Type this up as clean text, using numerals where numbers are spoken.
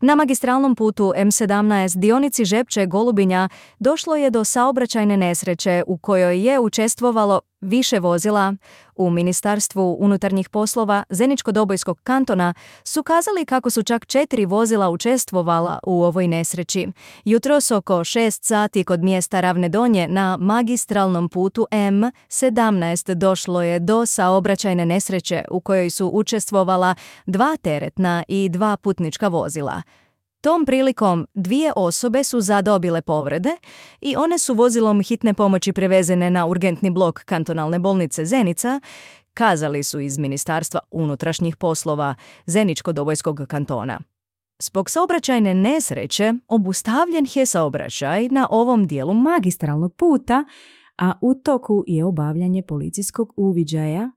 Na magistralnom putu M17 dionici Žepče-Golubinja došlo je do saobraćajne nesreće u kojoj je učestvovalo više vozila. U Ministarstvu unutarnjih poslova Zeničko-Dobojskog kantona su kazali kako su čak 4 vozila učestvovala u ovoj nesreći. Jutros oko 6 sati kod mjesta Ravne Donje na magistralnom putu M17 došlo je do saobraćajne nesreće u kojoj su učestvovala 2 teretna i 2 putnička vozila. Tom prilikom 2 osobe su zadobile povrede i one su vozilom hitne pomoći prevezene na urgentni blok kantonalne bolnice Zenica, kazali su iz Ministarstva unutrašnjih poslova Zeničko-Dobojskog kantona. Zbog saobraćajne nesreće obustavljen je saobraćaj na ovom dijelu magistralnog puta, a u toku je obavljanje policijskog uviđaja